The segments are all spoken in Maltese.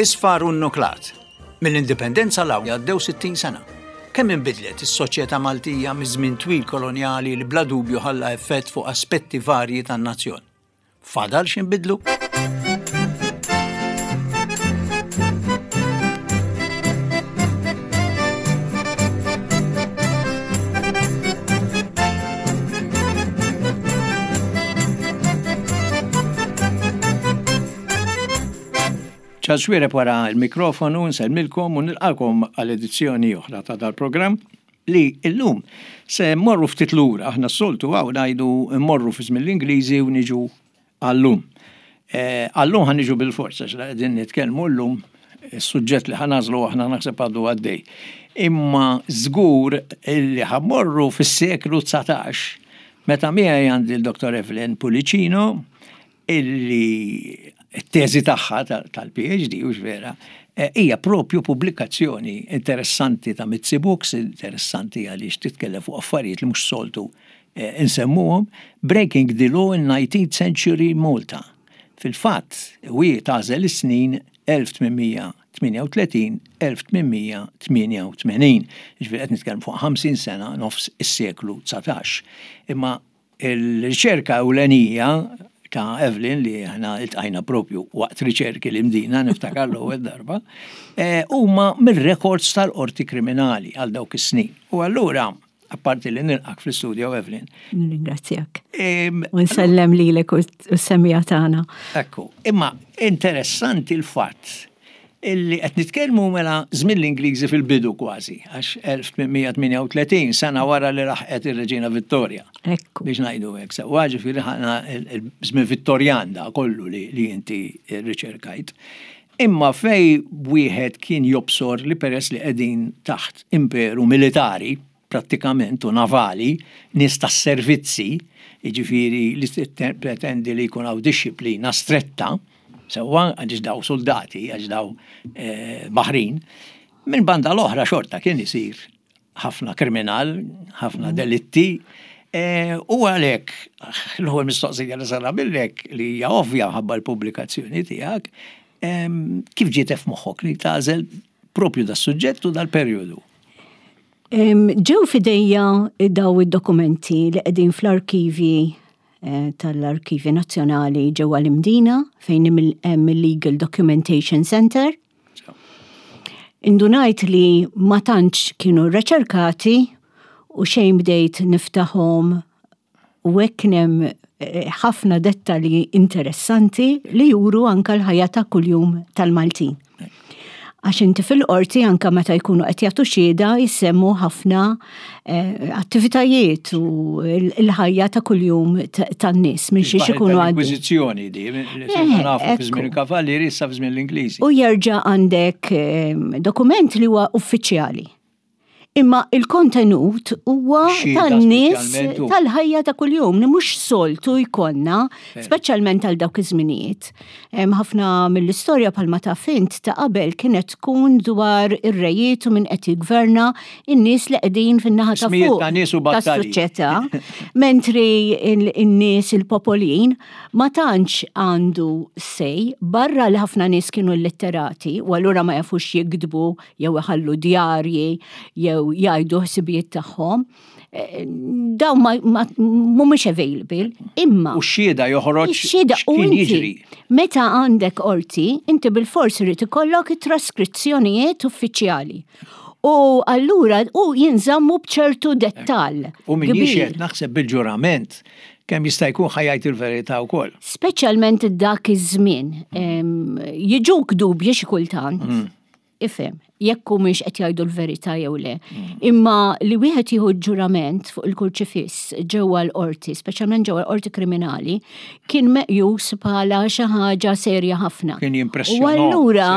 Isfar u nnuklat. Mill-Indipendenza 'l hawn għaddew 60 sena. Kemm inbidlet is-soċjetà Maltija miż-żmien twil kolonjali li bla dubju ħalla effett fuq aspetti varji tan-nazzjon. Fadal x'inbidlu? Charles Xuereb wara l-mikrofonu nsellmilkom u nilqakom għal edizzjoni oħra ta' dal-programm li illum se mmorru ftit lura, aħna s-soltu hawn ngħidu mmorru fi żmien l-Ingliżi u niġu għallum. Eh, għallum ħan niġu bil-forza, x'la qegħdin nitkellmu llum is-suġġett li ħanażlu aħna naħseb għadu għaddej. Imma żgur li ħammorru fis-seklu 19 meta miegħi għandi l-Dr. Evelyn Pulicino illi t-teżi tagħha tal-PhD, hux vera, eh, hija propju pubblikazzjoni interessanti ta' Mizzi Books, interessanti għaliex titkellem fuq affarijiet li mhux soltu eh, insemmuhom, Breaking the Law in 19th Century Malta. Fil-fatt, u hi tagħżel is-snin 1838-1888. Ġifieri qed nitkellem fuq 50 sena nofs is-seklu 19. Imma Il-riċerka ewlenija ta' Evelyn li aħna iltqajna propju waqt riċerki li mdina niftakar l-ewwel darba, eh, huma mir-rekords tal-qorti kriminali għal dawk is-snin. U allura, apparti li nilqak fl-istudio Evelyn. Nirringrazzjak. U nsellem lilek u s-semija tagħna. Ekku, imma interessanti l-fatt illi qed nitkellmu mela żmien l-Ingliżi fil-bidu kważi, għax 1838, sena wara li laħqet ir-Reġina Vittoria. Ekku. Biex ngħidu hekk, sewwa ġifieri ħana żmien Vittorjan da kollu li, li inti riċerkajt. Imma fej wieħed kien jobsor li peress li qegħdin taħt imperu militari, prattikament u navali, nies tas-servizzi, jiġifieri li tippretendi li jkun hawn dixxiplina stretta, sewwa għaliex daw suldati, għax daw eh, baħrin, minn banda l-oħra xorta kien isir ħafna kriminal, ħafna mm. delitti, eh, u għalek, l-ewwel mistoqsija li sara billek li hija ovvja ħabba l-pubblikazzjoni tiegħek, kif ġiet f'moħħok li tagħżel propju das-suġġett u dal-perjodu? Ġew fidejja daw id-dokumenti li qegħdin fl-arkivji eh, tal-Arkivi Nazzjonali ġewwa l-Imdina fejn hemm il-Legal Documentation Center. Indunajt li ma tantx kienu reċerkati u xejn bdejt niftaħhom U hekk kien hemm eh, ħafna dettalji interessanti li juru anka l-ħajja ta' kuljum tal-Maltin. Għax inti fil-qorti anka meta jkunu qed jagħtu xhieda jissemmu ħafna eh, attivitajiet u l-ħajja ta' kuljum tan-nies minn xiex ikunu għaddew. Inkwiżizzjoni di, li eh, nafu fi żmien il-Kavallieri issa fi żmien l-Ingliżi. U jerġa' għandek dokument li huwa uffiċjali. Imma il-kontenut huwa tan-nies tal-ħajja ta' kuljum li mhux soltu jkollna, speċjalment għal dawk iż-żminijiet. Ħafna mill-istorja bħalma taf int ta' qabel kienet tkun dwar ir-rejiet u min qed jiggverna in-nies li qegħdin fin-naħa ta' fuq tas-soċjetà, mentri in-nies il-popolin ma tantx għandu sej barra li ħafna nies kienu illitterati u allura ma jafux jiktbu jew iħallu djarji jew jgħidu ħsibijiet tagħhom. Eh, dawn ma mhumiex available, imma. U x-xhieda joħroġ xhieda u jiġri. Meta għandek qorti, inti bil-fors irid ikollok it-traskrizzjonijiet uffiċjali. U allura u jinżammu b'ċertu dettall. U min jixhed naħseb bil-ġurament kemm jista' jkun ħajajt il-verità wkoll. Speċjalment dak iż-żmien. Jiġuk dubji xi kultant. Mm. Ifhem, jekk humiex qed jgħidu l-verità jew le. Mm. Imma li wieħed jieħu ġurament fuq il-kurċifiss ġewwa l-qorti, speċjalment ġewwa l-qorti kriminali, kien meqjus bħala xi ħaġa serja ħafna. Kien jimpressjona. U allura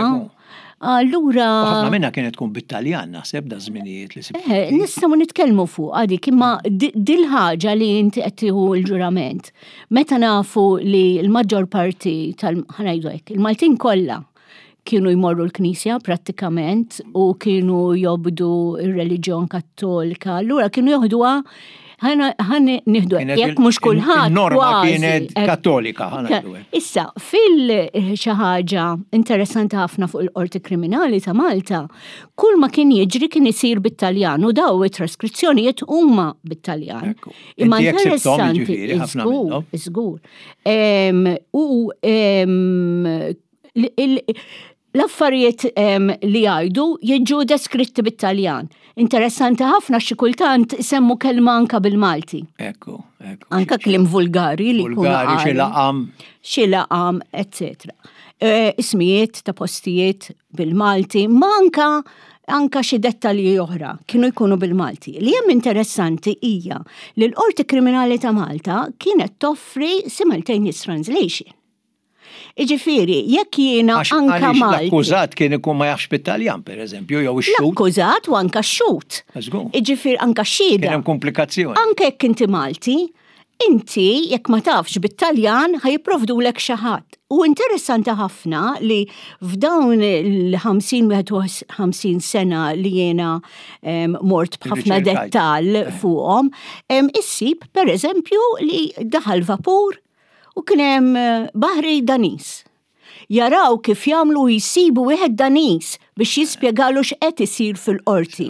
Allura. Ħafna minna kienet tkun bit-Taljan naħseb da żminijiet li sib. Eh, nistgħu nitkellmu fuq għadik imma dil-ħaġa li inti qed tieħu l-ġurament. Meta nafu li l-maġġor parti tal ħanajdu hekk, il-Maltin kollha. kienu jmorru l-knisja prattikament u kienu jobdu ir-reliġjon kattolika. Allura kienu joħduha ħan nieħdu jekk mhux kulħadd. Norma kienet kattolika. Issa, fil xi ħaġa interessanti ħafna fuq il-Qorti Kriminali ta' Malta, kull ma kien jiġri kien isir bit-Taljan u daw it-traskrizzjonijiet huma bit-Taljan. Imma interessanti, żgur, żgur. U l-affarijiet li jgħidu jiġu deskritti bit-Taljan. Interessanti ħafna xi kultant isemmu kelma anka bil-Malti. Ekku, ekku. Anka kliem vulgari li Vulgari, xi laqam. Xi laqam, eccetera. E, ismijiet ta' postijiet bil-Malti, ma anka anka xi dettalji oħra kienu jkunu bil-Malti. Li hemm interessanti hija li l-Qorti Kriminali ta' Malta kienet toffri simultaneous translation. Iġifieri, jekk jiena anka Malti. L-akkużat kien ikun ma jafx bit-Taljan, per eżempju, jew ix-xhud. L-akkużat u anka x-xhud. Iġifieri anka x-xhieda. Kien hemm komplikazzjoni. Anke jekk inti Malti, inti jekk ma tafx bit-Taljan ħa jipprovdulek xi ħadd. U interessanti ħafna li f'dawn il-50 51 sena li jiena mort b'ħafna dettall eh. fuqhom, issib per eżempju li daħal vapur U kien hemm eh, baħri Daniż. Jaraw kif jagħmlu jsibu wieħed Daniż biex jispjegalu x'qed isir fil-qorti.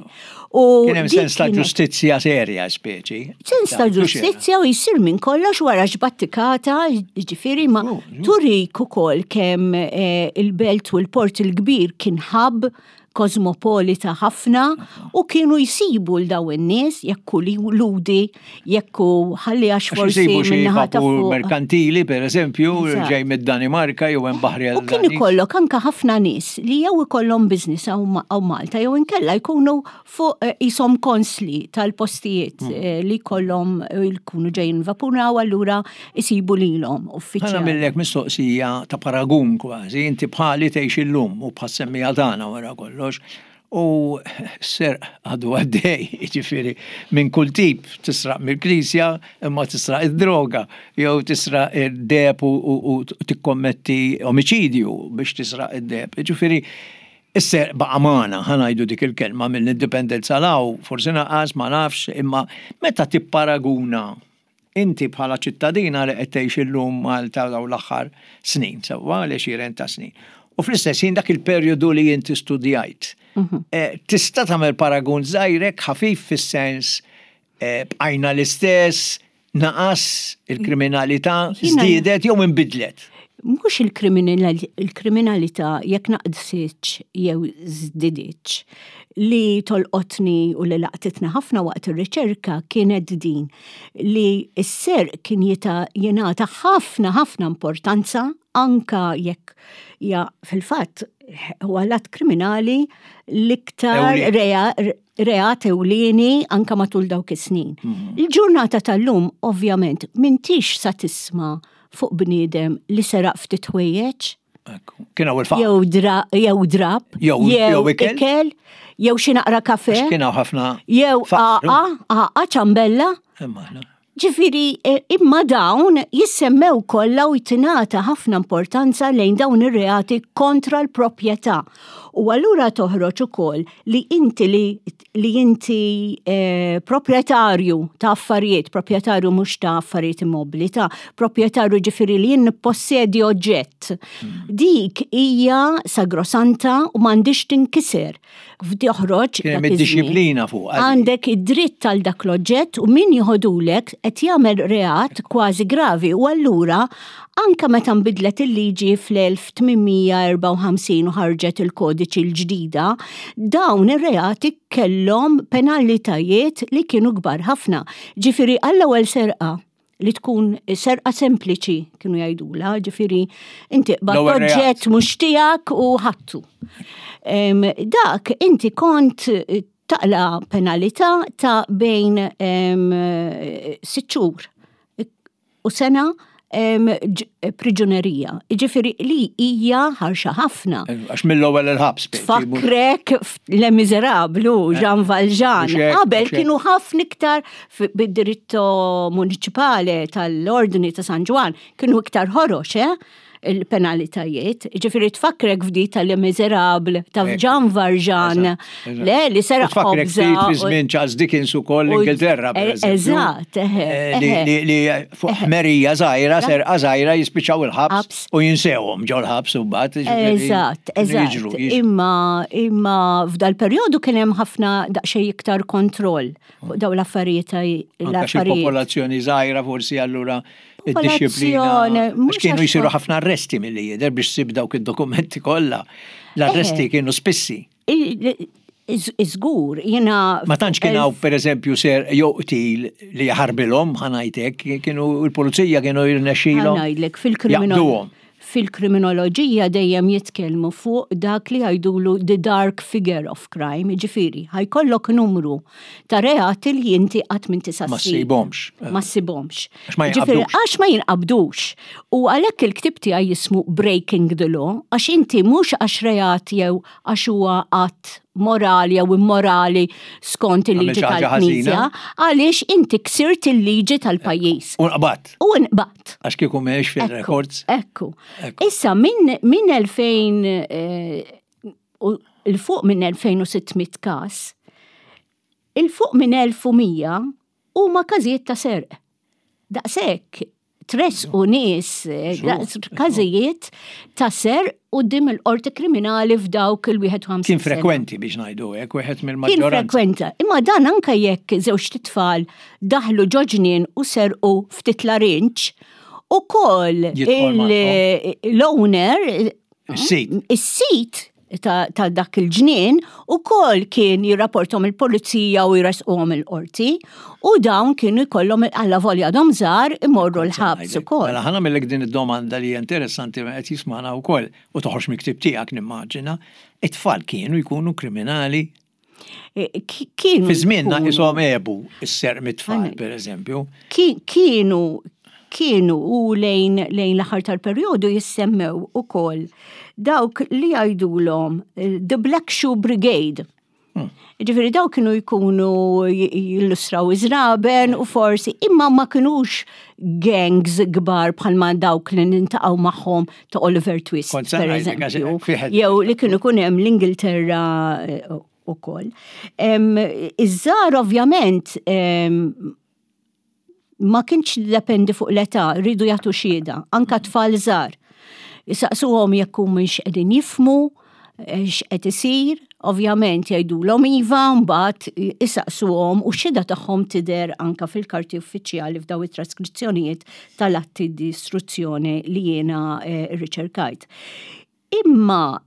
U kien hemm sens ta' ġustizzja serja speċi. Sens ta' ġustizzja u jsir minn kollox wara x'battikata, ġifieri ma turik ukoll kemm eh, il-belt u l-port il-kbir kien ħabb kosmopolita ħafna u kienu jsibu l daw in-nies jekk hu ludi, jekk hu ħalli għax forsi minnaħa ta' fuq. merkantili per eżempju, ġej mid-Danimarka jew hemm baħri U kien ikollok anka ħafna nies li jew ikollhom business hawn Malta jew inkella jkunu fuq eh, isom konsli tal-postijiet hmm. eh, li kollhom eh, jkunu ġejjin vapuraw allura isibu lilhom uffiċjali. Ħa nagħmillek mistoqsija ta' paragun kważi, inti bħali tgħix illum u bħas-semmiegħa tagħna wara kollox, u s-serq għadu għaddej, jiġifieri minn kull tip, tisraq mill-knisja imma tisraq id-droga, jew tisraq id-deheb u tikkommetti omiċidju biex tisraq id-deheb. Jiġifieri is-serq baqa' magħna, ħa ngħidu dik il-kelma mill-indipendenza 'l hawn, forsi naqas, ma nafx, imma meta tipparaguna Inti bħala ċittadina li qed tgħix illum Malta dawn l-aħħar snin, sewwa l-għexieren ta' snin. U fl-istess ħin dak il-perjodu li inti studjajt. Mhm. Eh, tista' tagħmel paragun żgħirek ħafif fis-sens eh, bqajna l-istess, naqas il-kriminalità, żdiedet jew inbidlet. Mhux il-kriminalità jekk naqsitx jew żdiditx li tolqotni u li laqtitni ħafna waqt ir-riċerka kienet din li s-serq kien jingħata ħafna ħafna importanza anka jekk ja fil-fatt huwa l-att kriminali l-iktar reat ewlieni anka matul dawk is-snin. Mhm. Il-ġurnata tal-lum ovvjament m'intix sa tisma' fuq bniedem li seraq ftit ħwejjeġ. Kien hawn il-faqar. Jew dra, jew drab, jew ikel, jew xi naqra kafe. Kien hawn ħafna. Jew aqa, aqa ċambella. Ġifieri, e, imma dawn jissemmew kollha u jtingħata ħafna importanza lejn dawn ir-reati kontra l-proprjetà. U allura toħroġ ukoll li inti li li inti eh, proprjetarju ta' affarijiet, proprjetarju mhux ta' affarijiet immobbli, ta' proprjetarju ġifieri li jien nippossedi oġġett. Hmm. Dik hija sagrosanta u m'għandix tinkiser. F'toħroġ Kien id-disciplina fuq. Għandek id-dritt għal dak l-oġġett u min jieħodulek qed jagħmel reat kważi gravi u allura anka meta nbidlet il-liġi fl-1854 u ħarġet il-kodiċi l-ġdida, dawn ir-reati kellhom penalitajiet li kienu kbar ħafna. Ġifieri għall-ewwel serqa li tkun serqa sempliċi kienu jgħidula, ġifieri inti qbad oġġett mhux tiegħek u ħattu. Dak inti kont taqla penalità ta' bejn sitt xhur u sena priġunerija. Ġifieri li hija ħarxa ħafna. Għax mill-ewwel il-ħabs. Tfakkrek Le Miserablu, eh. Jean Valjean. Qabel kienu ħafna iktar bid-diritto municipale tal-ordni ta' San Ġwan, kienu iktar ħorox, eh? il-penalitajiet. Ġifieri tfakkrek f'di tal-Les Miserables ta' Jean Valjean, le li seraq Tfakkrek ftit fi żmien Charles Dickens ukoll l-Ingilterra, per eżempju. Eżatt, Li fuq ħmerija żgħira, serqa żgħira jispiċċaw il-ħabs u jinsewhom ġol-ħabs u mbagħad. Eżatt, eżatt. Imma imma f'dal-perjodu kien hemm ħafna daqsxejn iktar kontroll fuq dawn l-affarijiet. Anke popolazzjoni żgħira forsi allura id-dixxiplina. Mhux kienu jsiru ħafna arresti milli jidher biex ssib dawk id-dokumenti kollha. L-arresti kienu spissi. Iżgur, jiena. Ma tantx kien hawn pereżempju ser jew qtil li jaħarbilhom ħa ngħidlek, kienu l-pulizija kienu jirnexxilhom. Ħa ngħidlek fil-kriminal. Fil-kriminoloġija dejjem jitkellmu fuq dak li jgħidulu the dark figure of crime, jiġifieri ħa jkollok numru ta' reati li inti qatt m'inti sa Ma ssibhomx. Ma ssibhomx. Għax ma jinqabdux. Għax ma jinqabdux. U għalhekk il-ktieb tiegħi jismu Breaking the Law, għax inti mhux għax reat jew għax huwa att morali jew immorali skont il-liġi tal-Knisja, għaliex inti ksirt il-liġi tal-pajjiż. U nqbadt. U nqbadt. Għax kieku m'hemmx fil-records. Ekku. Issa minn 2000 eh, il-fuq minn 2600 każ, il-fuq minn 1100 huma każijiet ta' serq. Daqshekk tressqu nies eh, każijiet ta' serq quddiem il-qorti kriminali f'dawk il-51 Kien frekwenti biex ngħidu hekk, wieħed mill-maġġoranza. Kien frekwenti, imma dan anke jekk żewġ titfal daħlu ġo ġnien u serqu ftit larinġ, ukoll l-owner Is-sit. Is-sit ta', ta dak il-ġnien ukoll kien jirrapportom il-pulizija u jresquhom il-qorti u dawn kienu jkollhom alla volja għadhom żgħar imorru l-ħabs ukoll. Mela ħa nagħmellek din id-domanda li hija interessanti meta qed jismagħna wkoll u toħroġ mill-ktieb tiegħek nimmaġina, it-tfal kienu jkunu kriminali? Eh, kienu. Fi żmienna ishom għebu s-serq mit-tfal, per eżempju. Kienu kienu u lejn lejn l-aħħar tal-perjodu jissemmew ukoll dawk li jgħidulhom eh, The Black Shoe Brigade. Hmm. Ġifieri dawk kienu jkunu jillustraw iż-żraben u forsi imma ma kinux gangs kbar bħalma dawk li nintaqgħu magħhom ta' Oliver Twist, per eżempju. Jew li kienu kun hemm l-Ingilterra eh, ukoll. Iż-żgħar ovvjament ma kienx dependi fuq l-età, rridu jagħtu xhieda, anka tfal żgħar. Isaqsuhom jekk humiex qegħdin jifhmu eh, x'qed isir, ovvjament jgħidulhom iva, mbagħad isaqsuhom u x-xhieda tagħhom tidher anka fil-karti uffiċjali f'daw it-traskrizzjonijiet tal-atti di istruzzjoni li jiena eh, rriċerkajt. Imma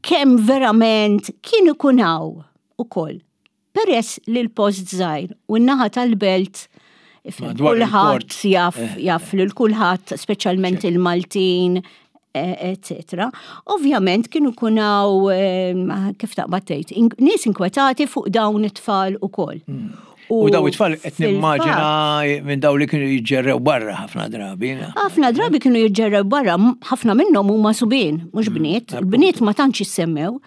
kemm verament kien ikun hawn ukoll Peress li l-post żgħir u n-naħa tal-belt kulħadd jaf eh. jaf lil kulħadd, speċjalment il-Maltin, etc. Eh, Ovvjament kienu kunaw eh, kif taqbad tgħid, nies inkwetati fuq dawn it-tfal ukoll. Hmm. U daw it-tfal qed nimmaġina minn daw li kienu jiġġerrew barra ħafna drabi. Ħafna drabi kienu jiġġerrew barra, ħafna minnhom huma subien, mhux hmm. bniet. Il-bniet ma tantx jissemmew.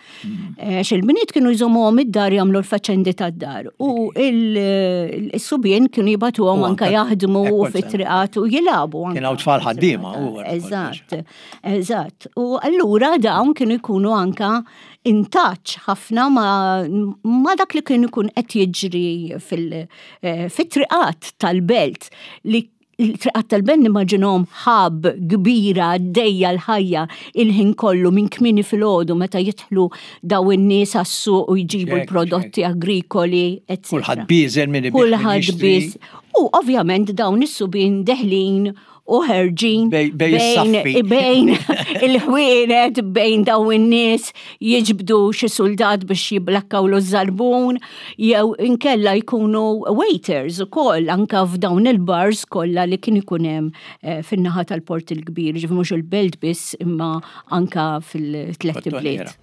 Eh, xil-bniet kienu jżommuhom id-dar jagħmlu l-faċendi tad-dar u il-subien kienu jibatuhom anka jaħdmu fit-triqat u jilagħbu. Kien hawn tfal ħaddiema. Eżatt, eżatt. U allura dawn kienu jkunu anka in touch ħafna ma dak li kienu jkun qed jiġri eh, fit-triqat tal-belt li Il-triqat tal-belt nimmaġinhom ħab kbira għaddejja l-ħajja il-ħin kollu minn kmieni filgħodu meta jidħlu daw in-nies għas-suq u jġibu l-prodotti agrikoli, etc. Kulħadd bieżel minn Kulħadd biż. U ovvjament dawn is-subien deħlin u ħerġin bejn il-ħwienet bejn daw in-nies jiġbdu xi suldat biex jiblakkawlu ż-żarbun jew inkella jkunu waiters ukoll anka f'dawn il-bars kollha li kien ikun hemm eh, fin-naħa tal-Port il-Kbir, ġifieri mhux il-belt biss imma anka fil-tlet ibliet.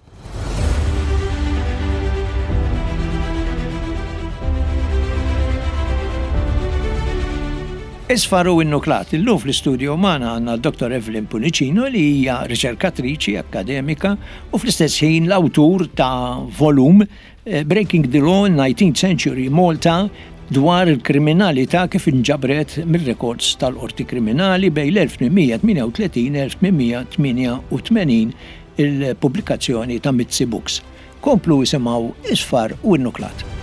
Isfar u Innuklat, illum fl-istudio magħna għandna Dr. Evelyn Pullicino li hija riċerkatriċi akkademika u fl-istess ħin l-awtur ta' volum Eh, Breaking the Law in 19th Century Malta, dwar il-kriminalità kif inġabret mir-rekords tal-Qorti Kriminali bejn l-1838 1888 il-pubblikazzjoni ta' Mizzi Books. Komplu isimgħu Isfar u Innuklat.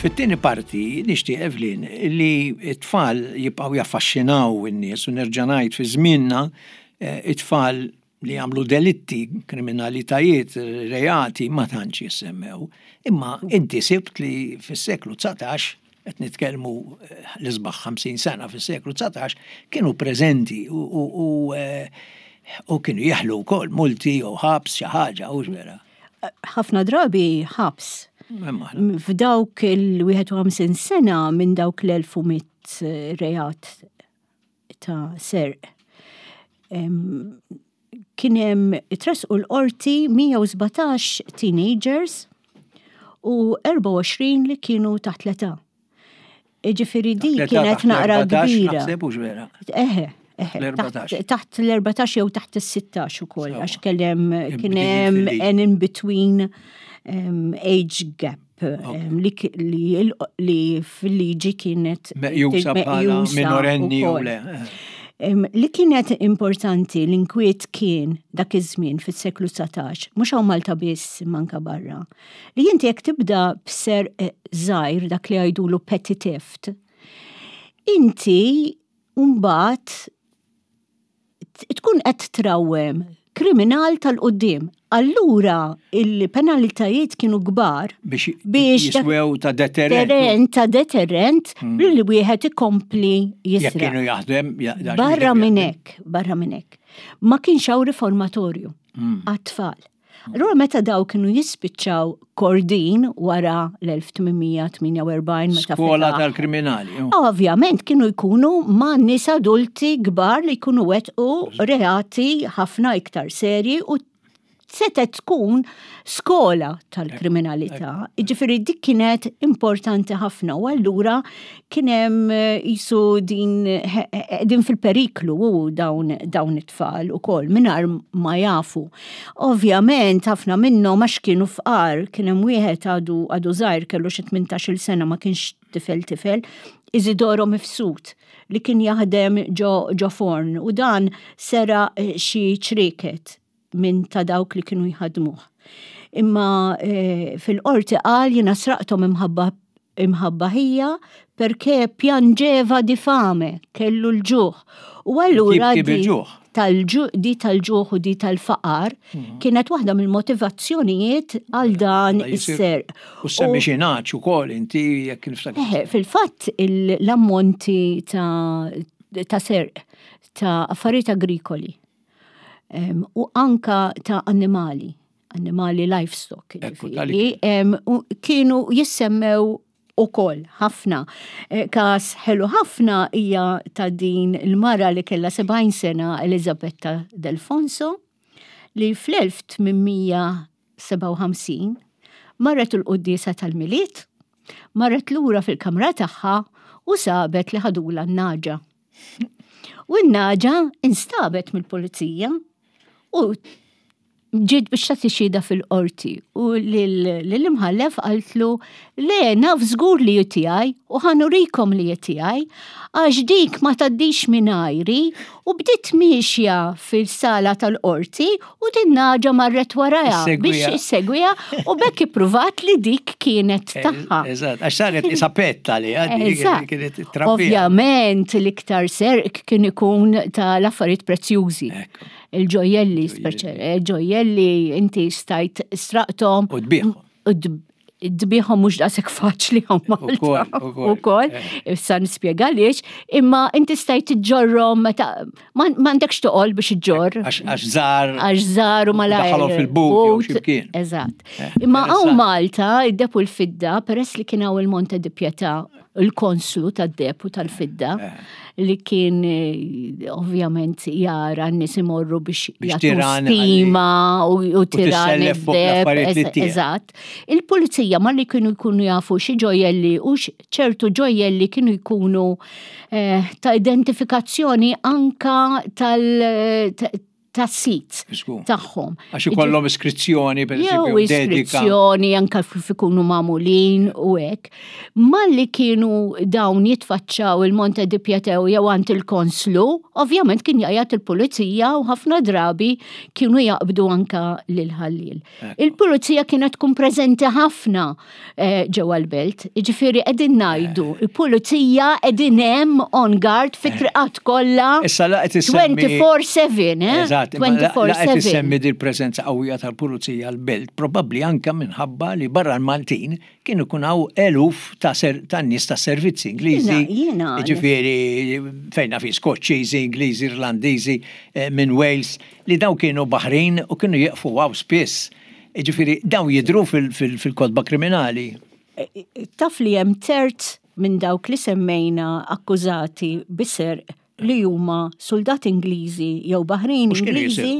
Fit-tieni parti nixtieq Evelyn li t-tfal jibqgħu jaffaxxinaw in-nies u nerġa' ngħid fi żmienna eh, it-tfal li jagħmlu delitti, kriminalitajiet, reati ma tantx jissemmew. Imma inti sibt li fis-seklu 19 qed nitkellmu eh, l-isbaħ 50 sena fis-seklu 19 kienu preżenti u, u, u, eh, u kienu jeħlu wkoll multi jew ħabs xi ħaġa u vera. Ħafna drabi ħabs. F'dawk il-51 sena minn dawk l-1100 reat ta' serq. Kien hemm tressqu l-qorti 117 teenagers u 24 li kienu taħt l-età. Ġifieri di kienet naqra kbira. Eħe, eħe. Taħt l-14 jew taħt is-16 ukoll għax kellem kien hemm an in between age gap. Li fil-liġi kienet meqjusa bħala minorenni u le. Li kienet importanti l-inkwiet kien dak iż-żmien fis-seklu 19, mhux hawn Malta biss manka barra. Li inti jekk tibda b'ser eh, żgħir dak li jgħidulu petty theft, inti mbagħad tkun qed trawwem kriminal tal-quddiem. Allura il-penalitajiet kienu kbar biex jiswew ta' deterrent. Ta' deterrent hmm. li wieħed ikompli jisra. Jekk kienu jaħdem. Barra minn hekk, barra minn hekk. Ma kienx hawn riformatorju hmm. għat-tfal. Allura meta daw kienu jispiċċaw kordin wara l-1848 meta Skola tal-kriminali. Ovvjament kienu jkunu ma' nies adulti kbar li jkunu wettqu reati ħafna iktar serji u setet tkun skola tal-kriminalità. Ġifieri dik kienet importanti ħafna u allura kien hemm eh, jisu din, eh, eh, din fil-periklu u dawn, dawn it-tfal ukoll mingħajr ma jafu. Ovvjament ħafna minnhom għax kienu fqar, kien hemm wieħed għadu għadu żgħir kellu xi 18-il sena ma kienx tifel tifel, Isidoro Mifsud li kien jaħdem ġo, ġo forn u dan sera xi ċrieket minn ta' dawk li kienu jħadmuh. Imma eh, fil-qorti qal jiena sraqthom imħabba imħabba ħija perché piangeva di fame, kellu l-ġuħ. U allura di tal-ġuħ u di tal-faqar mhm. kienet waħda mill-motivazzjonijiet għal dan is-serq. U semmi xi naċ ukoll inti jekk niftakar. Fil-fatt l-ammonti ta' serq ta' affarijiet agrikoli u anka ta' annimali, annimali livestock, kienu jissemmew ukoll ħafna. Eh, kas ħelu ħafna hija ta' din il-mara li kellha 70 sena Elizabetta Delfonso li fl-1857 marret il-quddiesa tal-Milied, marret lura fil-kamra tagħha u sabet li ħadula n-naġa. U n-naġa instabet mill-pulizija u ġiet biex tagħti xhieda fil-qorti u lill-imħallef qaltlu le naf żgur li tiegħi u ħanurikom li tiegħi għax dik ma tgħaddix mingħajri u bdiet miexja fil-sala tal-qorti u din naġa marret warajha biex issegwiha u bekk ippruvat li dik kienet eh, tagħha. Eżatt, għax saret isa petta li kienet trabbija. Ovvjament l-iktar serq kien ikun tal-affarijiet prezzjużi. Il-ġojjelli, eh, ġojjelli inti stajt straqtom. U tbieħhom. Dbiħom mhux daqshekk faċli hawn Malta. Ukoll, eh. issa nispjega għaliex, imma inti stajt iġġorrhom meta m'għandekx toqol biex iġġorr. Għax żgħar. Għax żgħar u malajr. Daħalhom fil-but jew xi Eżatt. Eh, imma hawn Malta id-deb u l-fidda peress li kien hawn il-Monte di Pietà il-konslu tad-deb u tal-fidda eh. li kien eh, ovvjament jara n-nies imorru biex jagħtu stima u tiran id-deb. Eżatt. Il-pulizija malli kienu jkunu jafu xi ġojjelli u ċertu ġojjelli kienu jkunu eh, ta' identifikazzjoni anka tal tas-sit tagħhom. Għax ikollhom iskrizzjoni per eżempju. Iskrizzjoni anke kif ikunu magħmulin u hekk. Malli kienu dawn jitfaċċaw il-Monte di Pietà jew għand il-konslu, ovvjament kien jgħajjat il-pulizija u ħafna drabi kienu jaqbdu anka lil ħalliel. Il-pulizija kienet tkun preżenti ħafna eh, ġewwa l-belt. Ġifieri qegħdin ngħidu, eh. il-pulizija qegħdin hemm on guard fit eh. triqat kollha. Issa laqgħet issemmi 24/7, eh? Eżatt, 24/7. Issemmi dil preżenza qawwija tal-pulizija l-belt, probabbli anke minħabba li barra l-Maltin kienu jkun hawn eluf ta' ta' nies ta' servizzi Ingliżi. Ġifieri fejn fi Skoċċiżi, Ingliżi, Irlandiżi, minn Wales, li dawn kienu baħrin u kienu jieqfu hawn spiss. Jiġifieri dawn jidhru fil-kotba kriminali. Taf li hemm terz minn dawk li semmejna akkużati bi serq li huma suldati Ingliżi jew baħrin Ingliżi.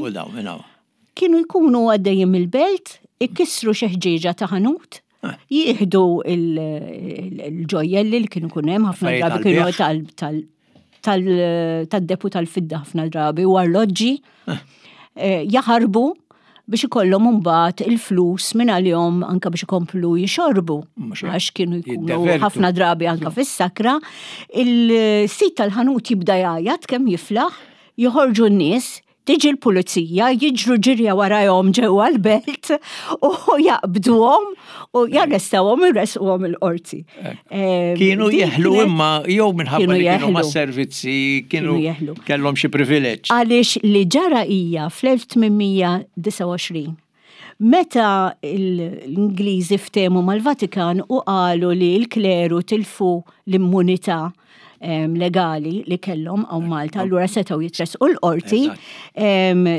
Kienu jkunu għaddejjin mill-belt, ikissru xi ħġieġa ta' ħanut, ah. jieħdu il-ġojjelli li kienu kun hemm ħafna drabi kienu tad-depu tal-fidda ħafna drabi u arloġġi ah. eh, jaħarbu biex ikollhom imbagħad il-flus minn għalihom anke biex ikomplu jixorbu għax kienu jkunu ħafna drabi anke fis-sakra. Il-sit tal-ħanut jibda jgħajjat kemm jiflaħ, joħorġu n-nies, Tiġi l-pulizija, jiġru ġirja warajhom ġewwa l-belt u jaqbduhom u jarrestawhom u jressquhom il-qorti. Kienu jeħlu imma jew minħabba li kienu ma' servizzi kienu jeħlu. Kellhom xi privileġġ. Għaliex li ġara hija fl-1829 Meta l-Ingliżi ftehmu mal-Vatikan u qalu li l-kleru tilfu l-immunità legali li kellhom hawn Malta, allura setgħu jitressqu l-qorti.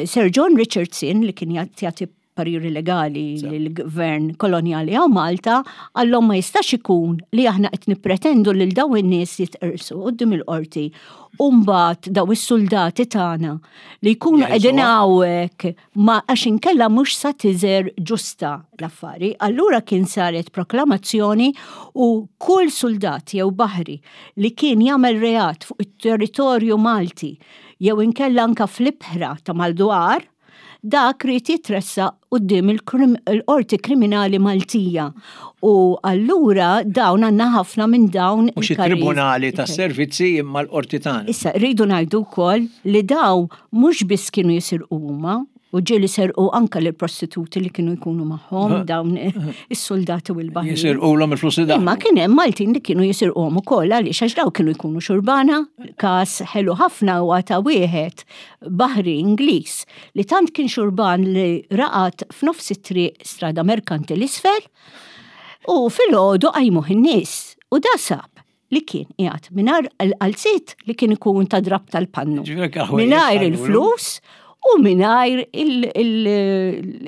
Sir John Richardson li kien jagħti pariri legali lill-gvern kolonjali hawn Malta, qallhom ma jistax ikun li aħna qed nippretendu lil dawn in-nies jitqirsu quddiem il-qorti u mbagħad daw is-suldati tagħna li jkunu qegħdin hawnhekk ma għax inkella mhux sa tiżer ġusta l-affari. Allura kien saret proklamazzjoni u kull suldat jew baħri li kien jagħmel reat fuq it-territorju Malti jew inkella anka fl-ibħra ta' maldwar, dak ried jitressaq quddiem il-Qorti Kriminali Maltija. U allura dawn għandna ħafna minn dawn. Mhux it-Tribunali tas-Servizzi imma l-Qorti tagħna. Issa rridu ngħidu wkoll li dawn mhux biss kienu jisirqu huma, u ġieli serqu anka lil prostituti li kienu jkunu magħhom dawn is-soldati u l-baħrin. Jisirqulhom il-flus li Imma kien hemm Maltin li kienu jisirquhom ukoll għaliex għax daw kienu jkunu xurbana, każ ħelu ħafna huwa ta' wieħed baħri Ingliż li tant kien xurban li raqad f'nofs it-triq strada merkanti l-isfel u filgħodu qajmuh in-nies u da sab li kien qiegħed mingħajr il-qalziet li kien ikun ta' drab tal-pannu. Mingħajr il-flus u mingħajr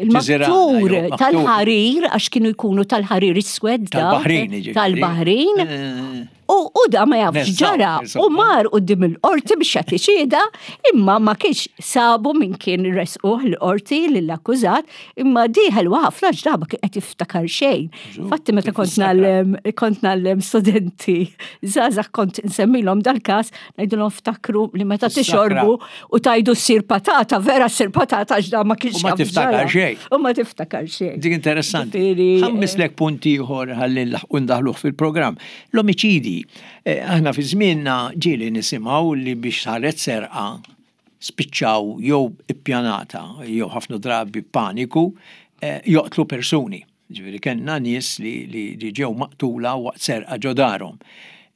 il-maktur tal-ħarir għax kienu jkunu tal-ħarir iswed tal-Baħrin. Eh. U da ma jafx ġara u mar qudiem il-qorti biex jagħti xhieda, imma ma kienx sabu minn kien resquh l-qorti lill-akkużat, imma dieħel ħafna ġdaba kien qed jiftakar xejn. Fatti meta kont nallem kont nallem studenti żgħażagħ kont nsemmilhom dal-każ ngħidulhom ftakru li meta tixorbu u tajdu ssir patata, vera ssir patata għax da ma kienx. U ma tiftakar xejn. U ma tiftakar xejn. Dik interessanti. Ħammislek punt ieħor ħalli nlaħqu ndaħluh fil-programm. L-omiċidi. Eh, aħna fi żmienna ġieli nisimgħu li biex saret serqa spiċċaw jew ippjanata jew ħafna drabi paniku eh, joqtlu persuni. Ġifieri kellna nies li, li, li ġew maqtula waqt serqa ġo darhom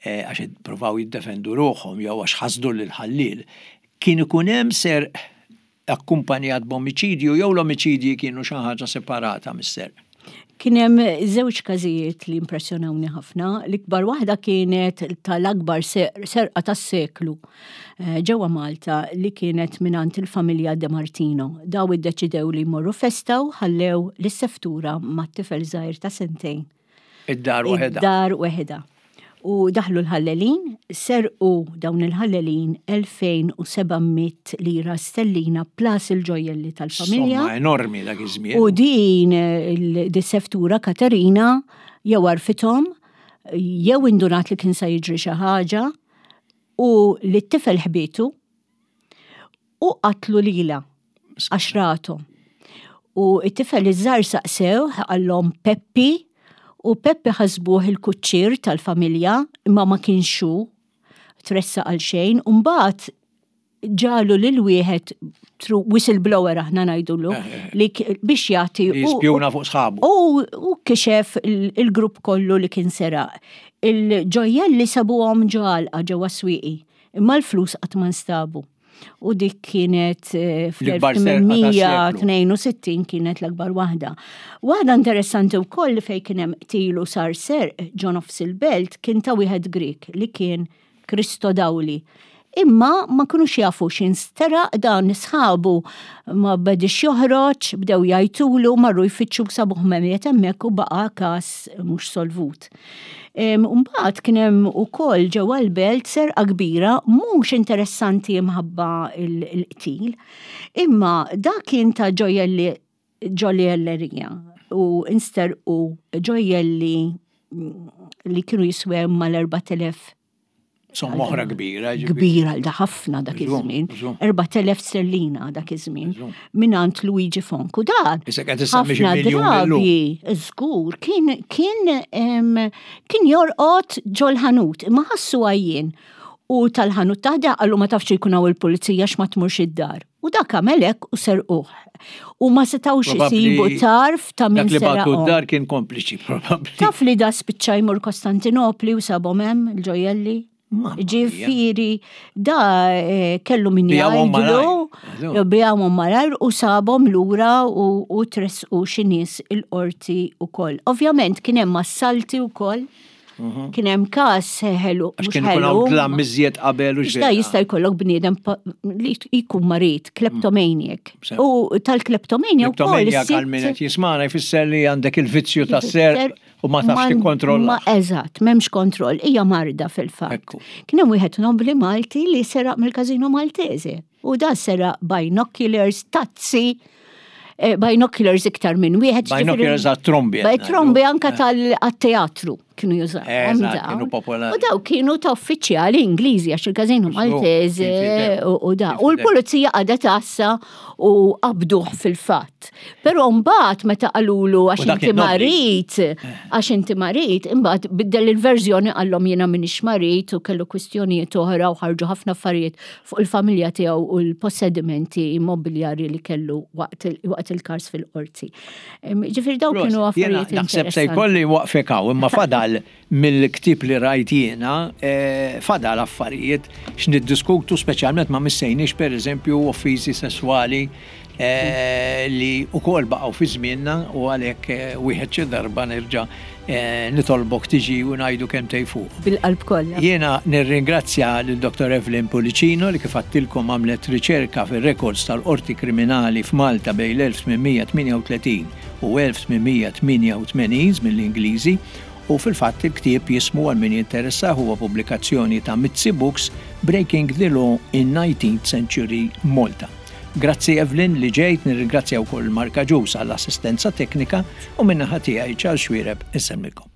eh, għax ippruvaw jiddefendu ruħhom jew għax ħasdu lil ħalliel. Kien ikun hemm serq akkumpanjat b'omiċidju jew l-omiċidji kienu xi ħaġa separata mis-serq? Kien hemm żewġ każijiet li impressjonawni ħafna. L-ikbar waħda kienet tal-akbar serqa tas-seklu eh, ġewwa Malta li kienet mingħand il-familja De Martino. Daw iddeċidew li jmorru festa u ħallew lis-seftura mat-tifel żgħir ta' sentejn. Id-dar waħedha. Id-dar waħedha. U daħlu l-ħallelin, serqu dawn il-ħallelin 2700 lira stellina plus il-ġojjelli tal-familja. Somma enormi dak iż-żmien. U din il-seftura Katerina jew għarfithom, jew indunat li kien se jiġri xi ħaġa u li t-tifel ħbietu u qatlu lilha. Għax rathom. U it-tifel iż-żgħar saqsewh qallhom Peppi u Peppi ħasbuh il-kuċċier tal-familja imma ma kienx hu tressaq għal xejn u mbagħad ġalu lil wieħed through whistleblower aħna ngħidulu eh, eh, eh. li biex jagħti u spjuna fuq sħabu. U kixef il-grupp kollu li kien seraq. Il-ġojjelli sabuhom ġo għalqa ġewwa swieqi, imma l-flus qatt ma nstabu. U dik kienet fl-1862 kienet l-akbar waħda. Waħda interessanti wkoll li fejn kien hemm qtil u sar serq ġo nofs il-belt kien ta' wieħed Grieg li kien Kristo Dawli. Imma ma kinux jafu x'insteraq dan sħabu ma bedix joħroġ, bdew jgħajtulu, marru jfittxu sabuh mejjet hemmhekk u baqa' każ mhux solvut. Mbagħad kien hemm ukoll ġewwa l-belt serqa kbira mhux interessanti imħabba l-qtil, imma dak kien ta' ġojjelli ġojjellerija u insterqu ġojjelli li kienu jiswew mal-4000 Somma oħra kbira. Kbira għal ħafna dak iż-żmien. 4000 sterlina dak iż-żmien. Minant Luigi Fonku dan. Ħafna drabi, żgur, kien kien kien jorqod ġol-ħanut, imma ħassu għajjien. U tal-ħanut taħda qallu ma tafx jkun hawn il-pulizija x'ma tmurx id-dar. U dak għamel hekk u serquh. U ma setgħux isibu tarf ta' min Dak li bagħtu d-dar kien kompliċi probabbli. Taf li da spiċċa jmur Kostantinopli u sabhom hemm il-ġojjelli. Ġifieri da eh, kellu min jgħidlu, bijawhom malajr u sabhom lura u tresqu xi nies il-qorti ukoll. Ovvjament kien hemm assalti wkoll. Mhm. Kien hemm każ ħelu. Għax kien ikun hawn dlam miżjed qabel u xejn. Jista' jkollok bniedem li jkun marid, kleptomaniac. Mm. U tal-kleptomania wkoll. Kleptomaniac għal min qed jismana jfisser li għandek il-vizzju tas-ser u ma tafx tikkontrolla. Ma eżatt, m'hemmx kontroll, hija marda fil-fatt. Kien hemm wieħed nobli Malti li seraq mill-Każino Maltese. U da seraq binoculars, tazzi, eh, binoculars iktar minn wieħed. Binoculars għat-trombi. Trombi anka eh. tal-teatru kienu jużaw. Kienu popolari. U daw kienu ta' uffiċjali Ingliżi għax il-każinu Maltese u da. U l-pulizija għadha tassa u qabduh fil-fatt. Però mbagħad meta qalulu għax inti marit, eh. għax inti marit, imbagħad biddel il-verżjoni qallhom jiena m'iniex marit u kellu kwistjonijiet oħra u ħarġu ħafna affarijiet fuq il-familja tiegħu u l-possedimenti immobiljari li kellu waqt il-każ fil-qorti. Ġifieri dawn kienu affarijiet. Naħseb se jkolli waqfek hawn, imma fadal mill-ktieb li rajt jiena, eh, fadal affarijiet x'niddiskutu speċjalment ma missejniex pereżempju offiżi sesswali eh, li wkoll baqgħu fi żmienna u għalhekk eh, wieħed xi darba nerġa' eh, nitolbok tiġi u ngħidu kemm fuq. Bil-qalb kollha. Jiena nirringrazzja lil Dr. Evelyn Pullicino li kif għattilkom għamlet riċerka fir-rekords tal-Qorti Kriminali f'Malta bejn l-1838 u 1888 mill-Ingliżi u fil-fatt il-ktieb jismu għal min jinteressah huwa pubblikazzjoni ta' Mizzi Books Breaking the Law in 19th Century Malta. Grazzi Evelyn li ġejt, nirringrazzja wkoll Mark Agius għall-assistenza teknika u min-naħa tiegħi Charles Xuereb insellmilkom.